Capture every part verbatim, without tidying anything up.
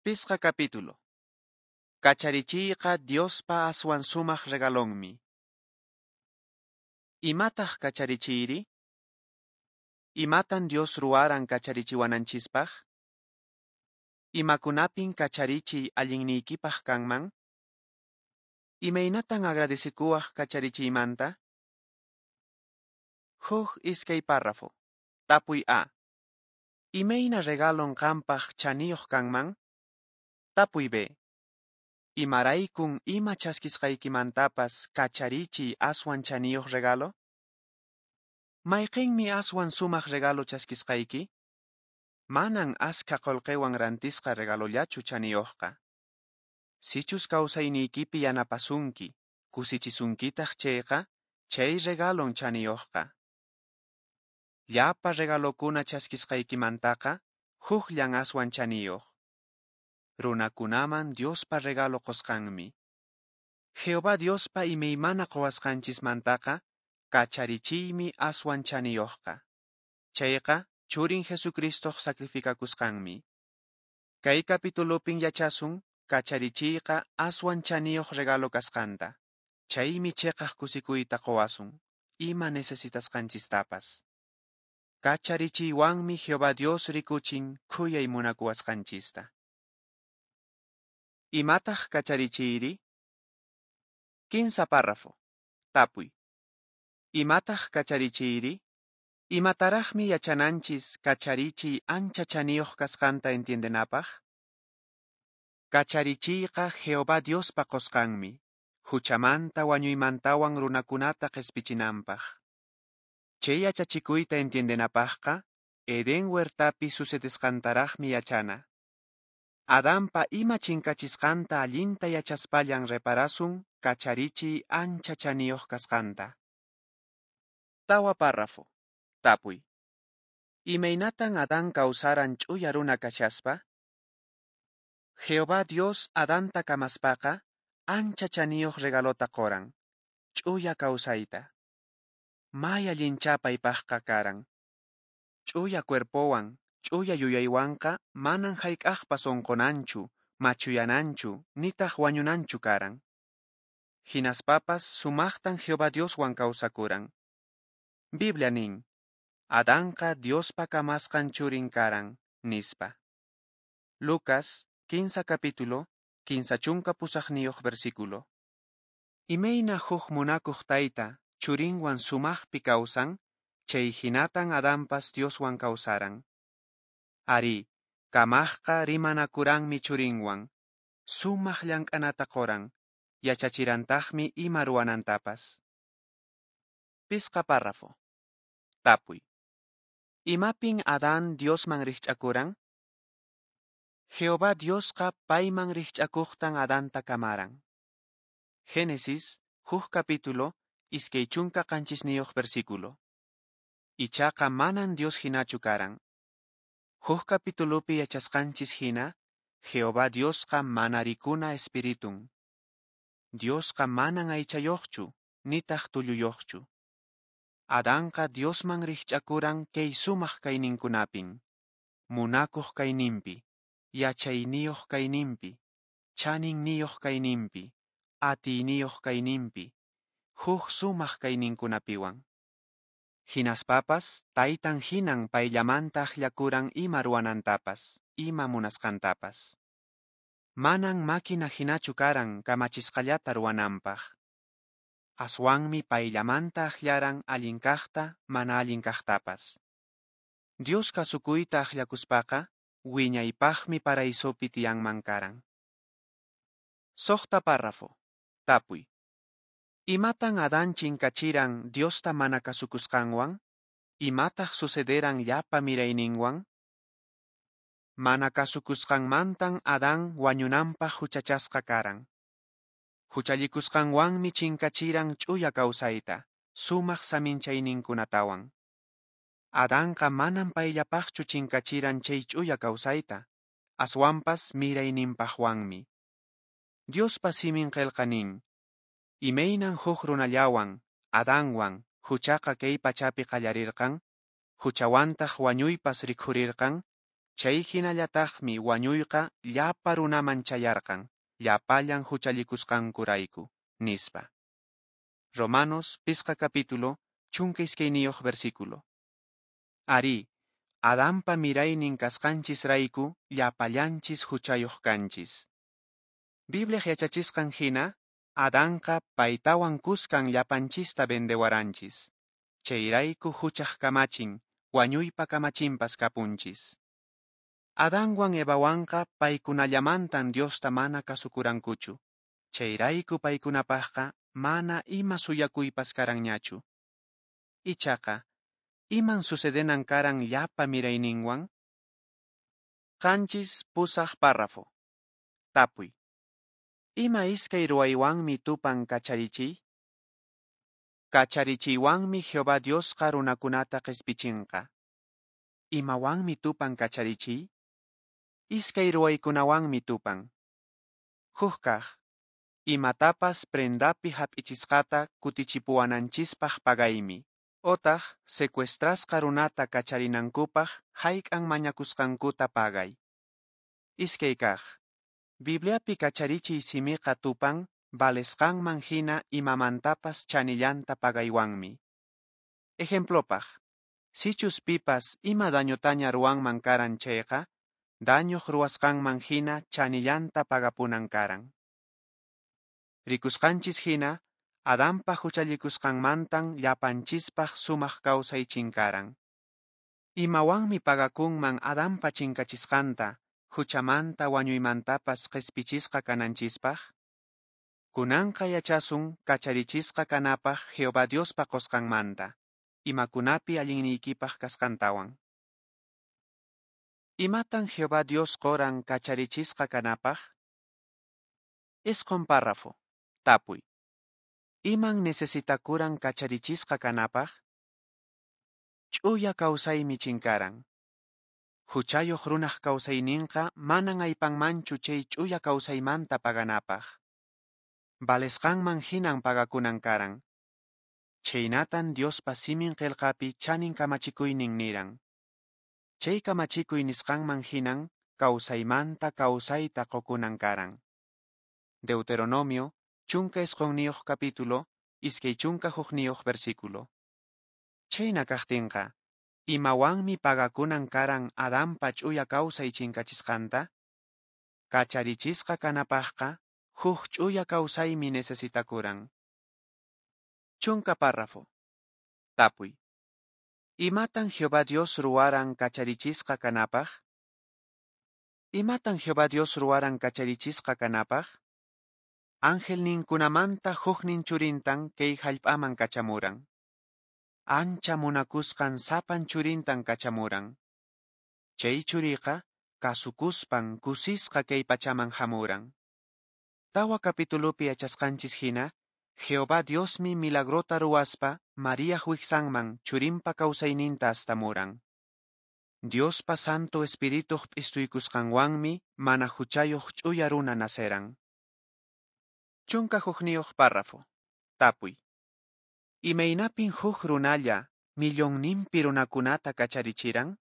Pisqa capítulo. Kacharichiyqa Diospa aswan sumaq regalonmi. Imataq kacharichiyri? Imatan Dios ruwaran kacharichiwananchispaq? Imakunapin kacharichiy allinniykipaq kanman? Imaynatan agradecekuwaq kacharichiymanta? Huk iskay párrafo. Tapuy A. Imayna regalon qampaq chaniyuq kanman? Tapuy B. Imaraykun ima chaskisqaykimantapas kacharichiy aswan chaniyuq regalo? Mayqinmi aswan sumaq regalo chaskisqayki? Manan askha qullqiwan rantisqa regalollachu chaniyuqqa. Sichus kawsayniykipi yanapasunki, kusichisunkitaq chayqa, chay regalon chaniyuqqa. Llapa regalokuna chaskisqaykimantaqa, hukllan aswan chaniyuq. Runakunaman Diospa regalo qusqanmi. Jehová Diospa imaymana quwasqanchismantaqa, kacharichiymi aswan chaniyuqqa. Chayqa churin Jesucristoq sacrificakusqanmi. Kay capitulopin yachasun kacharichiyqa aswan chaniyuq regalo kasqanta. Chaymi chiqaq kusikuyta quwasun, ima necesitasqanchistapas. Kacharichiywanmi Jehová Dios rikuchin khuyay munakuwasqanchista. Imataq kacharichiyri? Kinsa párrafo. Tapuy. Imataq kacharichiyri? Imataraqmi yachananchis kacharichiy ancha chaniyuq kasqanta entiendenapaq? Kacharichiyqa Jehová Diospa qusqanmi, huchamanta wañuymantawan runakunata qispichinanpaq. Chay yachachikuyta entiendenapaqqa, Edén huertapi sucedesqantaraqmi yachana. Adanpa ima chinkachisqanta allinta yachaspallan reparasun kacharichiy ancha chaniyuq kasqanta. Tawa párrafo. Tapuy. Imaynatan Adán kawsaran ch'uya runa kashaspa? Jehová Dios Adanta kamaspaqa ancha chaniyuq regalota quran, ch'uya kawsayta. May allinchá paypaqqa karan. Ch'uya cuerpowan, ch'uya yuyaywanqa manan hayk'aqpas unqunanchu, machuyananchu, nitaq wañunanchu karan. Hinaspapas sumaqtan Jehová Dioswan kawsakuran. Biblia nin, Adanqa Diospa kamasqan churin karan, nispa. Lucas, kinsa capítulo, kinsa chunka pusaqniyuq versículo. Imayna huk munakuq tayta churinwan sumaqpi kawsan, chay hinatan Adanpas Dioswan kawsaran. Ari, kamaqqa rimanakuranmi churinwan, sumaq llank'anata quran, yachachirantaqmi ima ruwanantapas. Pisqa párrafo. Tapuy. Imapin Adán Diosman rikch'akuran? Jehová Diosqa payman rikch'akuqtan Adanta kamaran. Génesis, huk capítulo, iskay chunka qanchisniyuq versículo. Ichaqa manan Dios hinachu karan. Huk capitulopi yachasqanchis hina, Jehová Diosqa mana rikuna espiritun. Diosqa manan aychayuqchu, nitaq tulluyuqchu. Adanqa Diosman rikch'akuran kay sumaq kayninkunapin, munakuq kayninpi, yachayniyuq kayninpi, chaninniyuq kayninpi, atiyniyuq kayninpi, huk sumaq kayninkunapiwan. Hinaspapas taytan hinan payllamanta akllakuran ima ruwanantapas, ima munasqantapas. Manan máquina hinachu karan kamachisqallata ruwananpaq. Aswanmi payllamanta akllaran allin kaqta, mana allin kaqtapas. Dios kasukuyta akllakuspaqa, wiñaypaqmi paraisopi tiyanman karan. Suqta párrafo. Tapuy. Imatan Adán chinkachiran Diosta mana kasukusqanwan? Imataq sucederan llapa mirayninwan? Mana kasukusqanmantan Adán wañunanpaq huchachasqa karan. Huchallikusqanwanmi chinkachiran ch'uya kawsayta, sumaq saminchayninkunatawan. Adanqa manan payllapaqchu chinkachiran chay ch'uya kawsayta, aswanpas mirayninpaqwanmi. Diospa simin qillqa nin, imaynan huk runallawan, Adanwan, huchaqa kay pachapi qallarirqan, huchawantaq wañuypas rikhurirqan, Chay hinallataqmi wañuyqa llapa runaman chayarqan, llapallan huchallikusqankurayku, nispa. Romanos pisqa capítulo, chunka iskayniyuq versículo. Arí, Adanpa miraynin kasqanchisrayku llapallanchis huchayuq kanchis. Bibliaq yachachisqan hina, Adanqa paytawan kuskan llapanchista vendewaranchis. Chayrayku huchaq kamachin, wañuypa kamachinpas kapunchis. Adanwan Evawanqa paykunallamantan Diosta mana kasukurankuchu. Chayrayku paykunapaqqa mana ima suyakuypas karanñachu. Ichaqa, iman sucedenan karan llapa mirayninwan? Qanchis pusaq párrafo. Tapuy. Ima iskay ruwaywanmi tupan kacharichiy? Kacharichiywanmi Jehová Diosqa runakunata qespichinqa. Imawanmi tupan kacharichiy? Iskay ruwaykunawanmi tupan. Huk kaq, imatapas prendapi hap'ichisqata kutichipuwananchispaq pagaymi, otaq secuestrasqa runata kacharinankupaq hayk'an mañakusqankuta pagay. Iskay kaq, Bibliapi kacharichiy simiqa tupan valesqanman hina imamantapas chanillanta pagaywanmi. Ejemplopaq, sichus pipas ima dañotaña ruwanman karan chayqa, dañoq ruwasqanman hina chanillanta pagapunan karan. Rikusqanchis hina, Adanpa huchallikusqanmantan llapanchispaq sumaq kawsay chinkaran. Imawanmi pagakunman Adanpa chinkachisqanta, huchamanta wañuymantapas qespichisqa kananchispaq? Kunanqa yachasun kacharichisqa kanapaq Jehová Diospa qosqanmanta, imakunapi allinniykipaq kasqantawan. Imatan Jehová Dios qoran kacharichisqa kanapaq? Isqun párrafo. Tapuy. Iman necesitakuran kacharichisqa kanapaq? Ch'uya kawsaymi chinkaran. Huchayuq runaq kawsayninqa manan aypanmanchu chay ch'uya kawsaymanta paganapaq. Valesqanman hinan pagakunan karan. Chhaynatan Diospa simin qelqapi chanin kamachikuynin niran. Chay kamachikuy nisqanman hinan kawsaymanta kawsayta qokunan karan. Deuteronomio, chunka isqonniyuq capítulo, iskay chunka hukniyuq versículo. Chhayna kaqtinqa, imawanmi pagakunan karan Adanpa ch'uya kawsay chinkachisqanta? Kacharichisqa kanapaqqa, huk ch'uya kawsaymi necesitakuran. Chunka párrafo. Tapuy. Imatan Jehová Dios ruwaran kacharichisqa kanapaq? Imatan Jehová Dios ruwaran kacharichisqa kanapaq? Angelninkunamanta huknin churintan kay hallp'aman kachamuran. Ancha munakusqan sapan churintan kachamuran. Chay churiqa kasukuspan kusisqa kay pachaman hamuran. Tawa capitulopi yachasqanchis hina, Jehová Diosmi milagrota ruwaspa Mariaq wiksanman churinpa kawsayninta astamuran. Diospa Santo Espirituq p'istuykusqanwanmi mana huchayuq ch'uya runa naceran. Chunka hukniyuq párrafo. Tapuy. Imaynapin huk runalla millonninpi runakunata kacharichiran?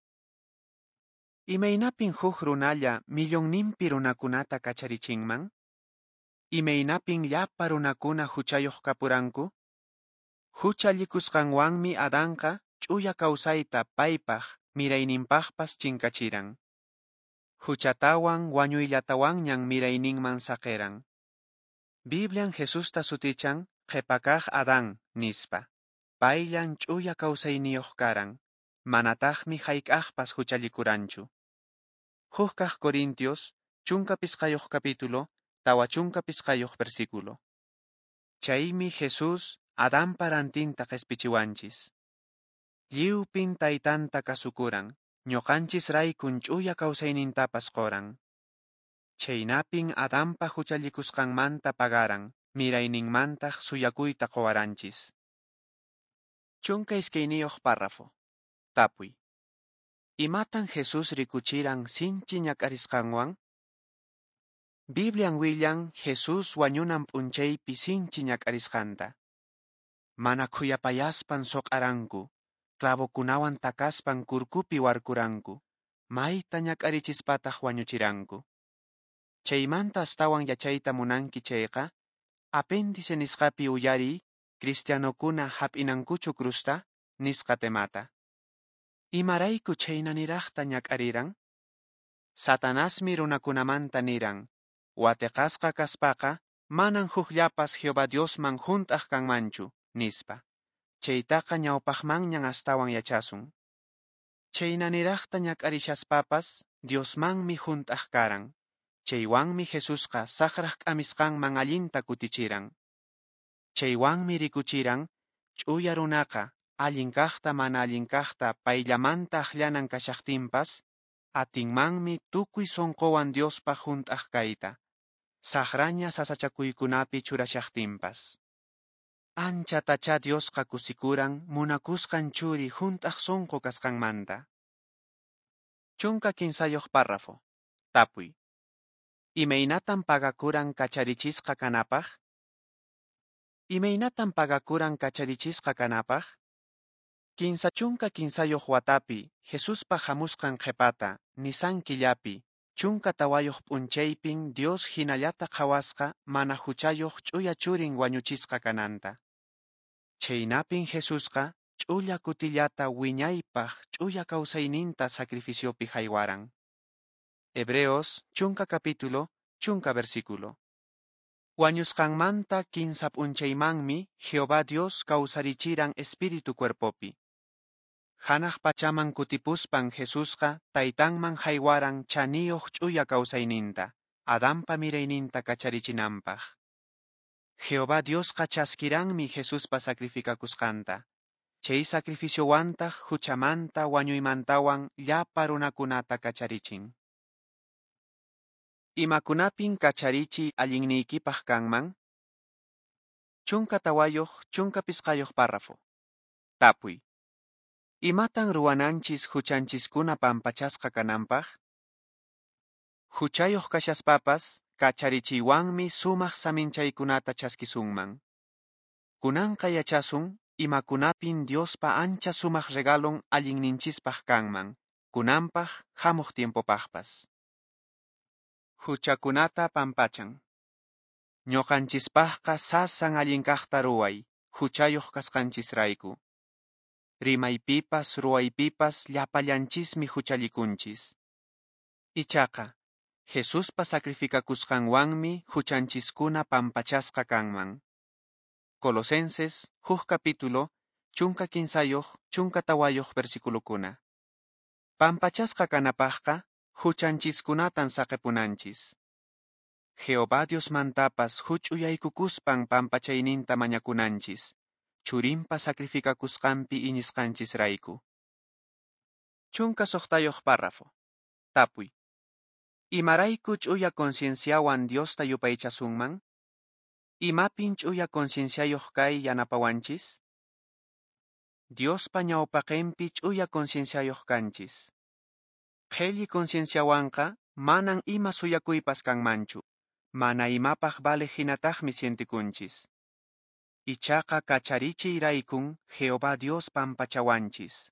Imaynapin huk runalla millonninpi runakunata kacharichinman? Imaynapin llapa runakuna huchayuq kapuranku? Huchallikusqanwanmi Adanqa ch'uya kawsayta paypaq mirayninpaqpas chinkachiran. Huchatawan wañuyllatawanñan mirayninman saqiran. Biblian Jesusta sutichan qhipakaq Adán nispa. Payllan ch'uya kawsayniyuq karan, manataqmi hayk'aqpas huchallikuranchu. Huk kaq Corintios, chunka pisqayuq capítulo, tawa chunka pisqayuq versículo. Chaymi Jesús Adanpa rantinta qespichiwanchis. Lliwpin taytanta kasukuran, ñuqanchis raykun ch'uya kawsaynintapas qoran. Chhaynapin Adanpa huchallikusqanmanta pagaran, mirayninmantaq suyakuyta qowaranchis. Chunka iskayniyuq párrafo. Tapuy. Imatan Jesús rikuchiran sinchi ñak'arisqanwan? Biblian willan Jesús wañunan p'unchaypi sinchi ñak'arisqanta. Mana khuyapayaspan soq'aranku, clavokunawan takaspan kurkupi warkuranku, mayta ñak'arichispataq wañuchiranku. Chaymanta astawan yachayta munanki chayqa, apéndice nisqapi uyariy Cristianokuna hap'inankuchu cruzta nisqa temata. Imarayku chhaynaniraqta ñak'ariran? Satanasmi runakunamanta niran, wateqasqa kaspaqa manan hukllapas Jehová Diosman hunt'aq kanmanchu, nispa. Chaytaqa ñawpaqmanñan astawan yachasun. Chhaynaniraqta ñak'arishaspapas Diosmanmi hunt'aq karan. Chaywanmi Jesusqa saqraq k'amisqanman allinta kutichiran. Chaywanmi rikuchiran, ch'uya runaqa allin kaqta mana allin kaqta payllamanta akllanan kashaqtinpas, atinmanmi tukuy sonqowan Diospaq hunt'aq kayta, saqraña sasachakuykunapi churashaqtinpas. Anchatachá Diosqa kusikuran munakusqan churi hunt'aq sonqo kasqanmanta. Chunka kinsayuq párrafo. Tapuy. Imaynatan pagakuran kacharichisqa kanapaq? Imaynatan pagakuran kacharichisqa kanapaq? Kinsa chunka kinsayuq watapi Jesuspa hamusqan qhepata Nisan killapi chunka tawayuq p'unchaypin Dios hinallata qhawasqa mana huchayuq ch'uya churin wañuchisqa kananta. Chhaynapin Jesusqa ch'ulla kutillata wiñaypaq ch'uya kawsayninta sacrificiopi haywaran. Hebreos chunka capítulo, chunka versículo. Wañusqanmanta kinsa p'unchaymanmi Jehová Dios kawsarichiran espíritu cuerpopi. Hanaq pachaman kutipuspan Jesusqa taytanman haywaran chaniyuq ch'uya kawsayninta, Adanpa mirayninta kacharichinanpaq. Jehová Diosqa chaskiranmi Jesuspa sacrificakusqanta. Chay sacrificiowantaq huchamanta wañuymantawan llapa runakunata kacharichin. Imakunapin kacharichiy allinniykipaq kanman? Chunka tawayuq, chunka pisqayuq párrafo. Tapuy. Imatan ruwananchis huchanchiskuna pampachasqa kananpaq? Huchayuq kashaspapas kacharichiywanmi sumaq saminchaykunata chaskisunman. Kunanqa yachasun imakunapin Diospa ancha sumaq regalon allinninchispaq kanman, kunanpaq hamuq tiempopaqpas. Huchakunata pampachan. Ñuqanchispaqqa sasan allin kaqta ruway, huchayuq kasqanchisrayku. Rimaypipas ruwaypipas llapallanchismi huchallikunchis. Ichaqa, Jesuspa sacrificakusqanwanmi huchanchiskuna pampachasqa kanman. Colosenses, huk capítulo, chunka kinsayuq, chunka tawayuq versiculokuna. Pampachasqa kanapaqqa, huchanchiskunatan saqepunanchis. Jehová Diosmantapas huch'uyaykukuspan pampachayninta mañakunanchis, churinpa sacrificakusqanpi iñisqanchisrayku. Chunka suqtayuq párrafo. Tapuy. Imarayku ch'uya concienciawan Diosta yupaychasunman? Imapin ch'uya concienciayuq kay yanapawanchis? Diospa ñawpaqinpi ch'uya concienciayuq kanchis. Qhelli concienciawanqa manan ima suyakuypas kanmanchu, mana imapaq valeq hinataqmi sientikunchis. Ichaqa kacharichiyraykun Jehová Dios pampachawanchis.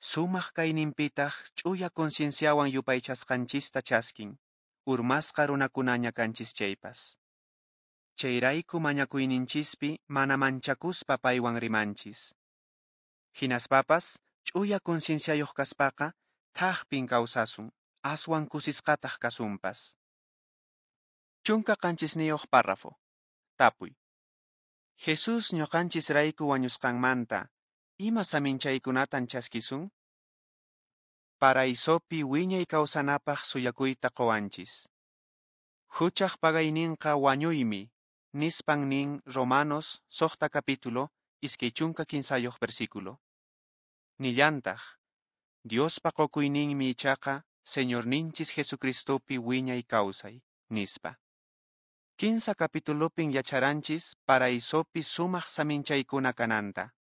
Sumaq kayninpitaq ch'uya concienciawan yupaychasqanchista chaskin, urmasqa runakunaña kanchis chaypas. Chayrayku mañakuyninchispi mana manchakuspa paywan rimanchis. Hinaspapas ch'uya concienciayuq kaspaqa thakpin kawsasun, aswan kusisqataq kasunpas. Chunka qanchisniyuq párrafo. Tapuy. Jesús ñuqanchisrayku wañusqanmanta, ima saminchaykunatan chaskisun? Paraisopi wiñay kawsanapaq suyakuyta qowanchis. Huchaq pagayninqa wañuymi, nispan nin Romanos suqta capítulo, iskay chunka kinsayuq versículo. Nillantaq, Diospa qokuyninmi ichaqa Señorninchis Jesucristopi wiñay kawsay, nispa. Kinsa capitulopin yacharanchis paraisopi sumaq saminchaykuna kananta.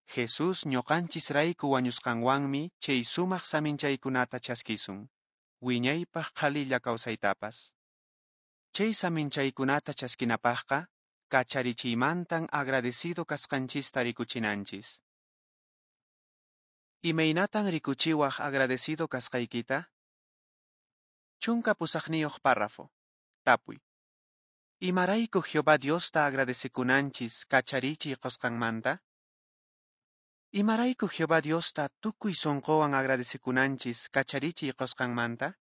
Jesús ñuqanchisrayku wañusqanwanmi chay sumaq saminchaykunata chaskisun, wiñaypaq qhalilla kawsaytapas. Chay saminchaykunata chaskinapaqqa, kacharichiymantan agradecido kasqanchista rikuchinanchis. Imaynatan rikuchiwaq agradecido kasqaykita? Chunka pusaqniyuq párrafo. Tapuy. Imarayku Jehová Diosta agradecekunanchis kacharichiy qosqanmanta? Imarayku Jehová Diosta tukuy sonqowan agradecekunanchis kacharichiy qosqanmanta?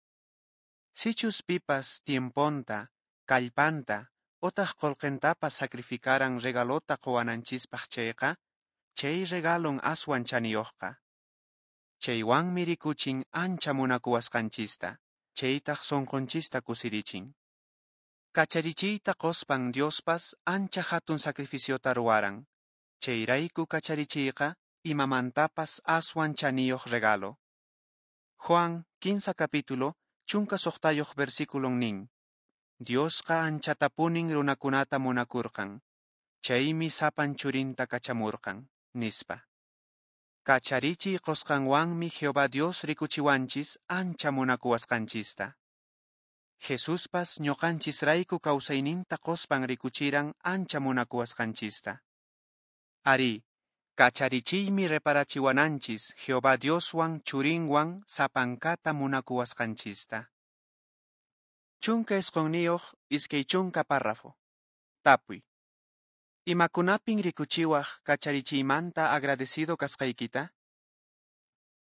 Sichus pipas tiemponta, kallpanta, otaq qolqentapas sacrificaran regalota qowananchispaq chayqa, chay regalon aswan chaniyuqqa. Chaywanmi rikuchin ancha munakuwasqanchista, chaytaq sonqonchista kusirichin. Kacharichiyta qospan Diospas ancha hatun sacrificiota ruwaran. Chayrayku kacharichiyqa imamantapas aswan chaniyuq regalo. Juan kinsa capítulo, chunka suqtayuq versículon nin. Diosqa anchatapunin runakunata munakurqan. Chaymi sapan churinta kachamurqan, nispa. Kacharichiy qosqanwanmi Jehová Dios rikuchiwanchis ancha munakuwasqanchista. Jesuspas ñuqanchisrayku kawsayninta qospan rikuchiran ancha munakuwasqanchista. Ari, kacharichiymi reparachiwananchis Jehová Dioswan churinwan sapankata munakuwasqanchista. Chunka isqunniyuq iskay chunka párrafo. Tapuy. Imakunapin rikuchiwaq kacharichiymanta agradecido kasqaykita?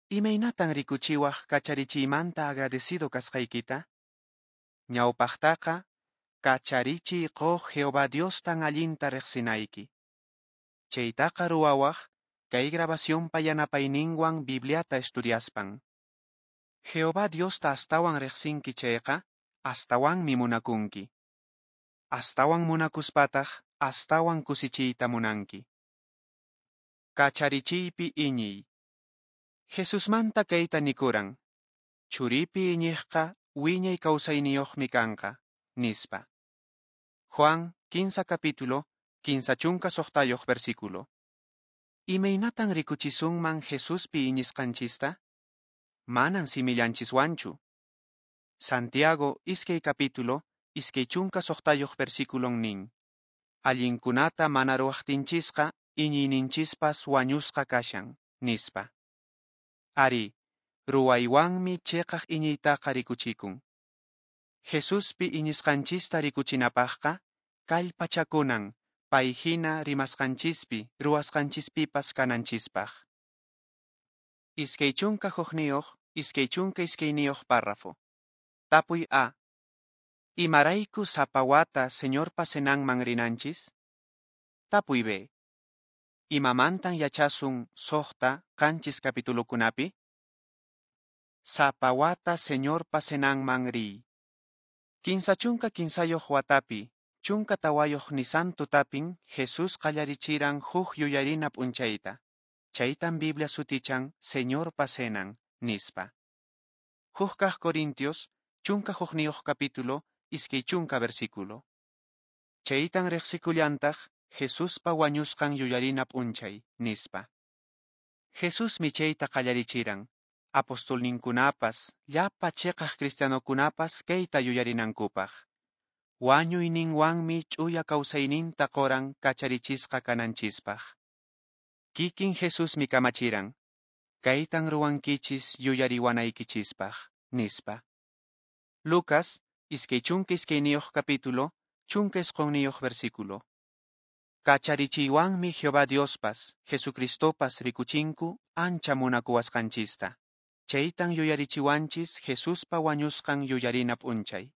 Imaynatan rikuchiwaq kacharichiymanta agradecido kasqaykita? Ñawpaqtaqa, kacharichiy quq Jehová Diostan allinta riqsinayki. Chaytaqa ruwawaq kay grabacionpa yanapayninwan Bibliata estudiaspan. Jehová Diosta astawan riqsinki chayqa, astawanmi munakunki. Astawan munakuspataq, astawan kusichiyta munanki. Kacharichiypi iñiy. Jesusmanta kayta nikuran. Churipi iñiqqa wiñay kawsayniyuqmi kanqa, nispa. Juan kinsa capítulo, kinsa chunka suqtayuq versículo. Imaynatan rikuchisunman Jesuspi iñisqanchista? Manan simillanchiswanchu. Santiago iskay capítulo, iskay chunka suqtayuq versículon nin. Allinkunata mana ruwaqtinchisqa iñiyninchispas wañusqa kashan, nispa. Ari, ruwaywanmi chiqaq iñiytaqa rikuchikun. Jesuspi iñisqanchista rikuchinapaqqa, kallpachakunan pay hina rimasqanchispi, ruwasqanchispipas kananchispaq. Iskay chunka hukniyuq, iskay chunka iskayniyuq párrafo. Tapuy A. Imarayku sapa wata Señorpa cenanman rinanchis? Tapuy B. Imamantan yachasun suqta qanchis capitulokunapi? Sapa wata Señorpa cenanman riy. Kinsa chunka kinsayuq watapi, chunka tawayuq Nisan tutapin Jesús qallarichiran huk yuyarina p'unchayta. Chaytan Biblia sutichan Señorpa cenan, nispa. Huk kaq Corintios, chunka hukniyuq capítulo, iskay chunka versículo. Chaytan riqsikullantaq Jesuspa wañusqan yuyarina p'unchay, nispa. Jesusmi chayta qallarichiran. Apostolninkunapas, llapa chiqaq cristianokunapas kayta yuyarinankupaq. Wañuyninwanmi ch'uya kawsayninta qoran kacharichisqa kananchispaq. Kikin Jesusmi kamachiran. Kaytan ruwankichis yuyariwanaykichispaq, nispa. Lucas, iskay chunka iskayniyuq capítulo, chunka isqunniyuq versículo. Kacharichiywanmi Jehová Diospas, Jesucristopas rikuchinku ancha munakuwasqanchista. Chaytan yuyarichiwanchis Jesuspa wañusqan yuyarina p'unchay.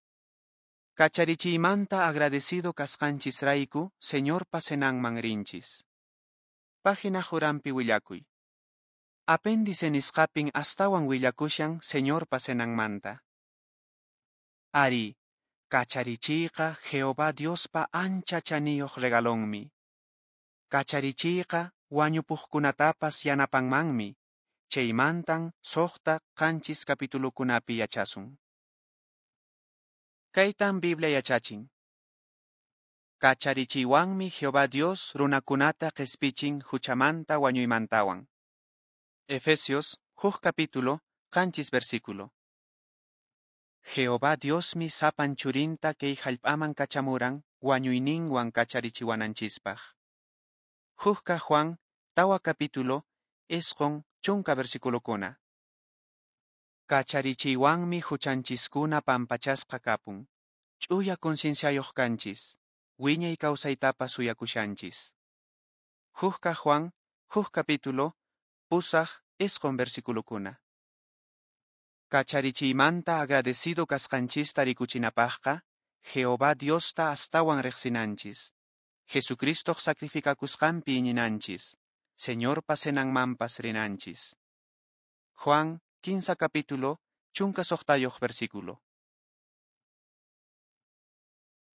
Kacharichiymanta agradecido kasqanchisrayku Señorpa cenanman rinchis. Página uranpi willakuy. Apéndice nisqapin astawan willakushan Señorpa cenanmanta. Ari, kacharichiyqa Jehová Diospa ancha chaniyuq regalonmi. Kacharichiyqa wañupuqkunatapas yanapanmanmi. Chaymantan suqta qanchis capitulokunapi yachasun. Kaytan Biblia yachachin. Kacharichiywanmi Jehová Dios runakunata qespichin huchamanta wañuymantawan. Efesios, huk capítulo, qanchis versículo. Jehová Diosmi sapan churinta kay hallp'aman kachamuran wañuyninwan kacharichiwananchispaq. Huk kaq Juan, tawa capítulo, isqun chunka versiculokuna. Kacharichiywanmi huchanchiskuna pampachasqa kapun, ch'uya concienciayoq kanchis, wiñay kawsaytapas suyakushanchis. Huk kaq Juan, huk capítulo, pusaq isqun versiculokuna. Kacharichiymanta agradecido kasqanchista rikuchinapaqqa, Jehová Diosta astawan riqsinanchis. Jesucristoq sacrificakusqanpi iñinanchis, Señorpa cenanmanpas rinanchis. Juan, kinsa capítulo, chunka suqtayuq versículo.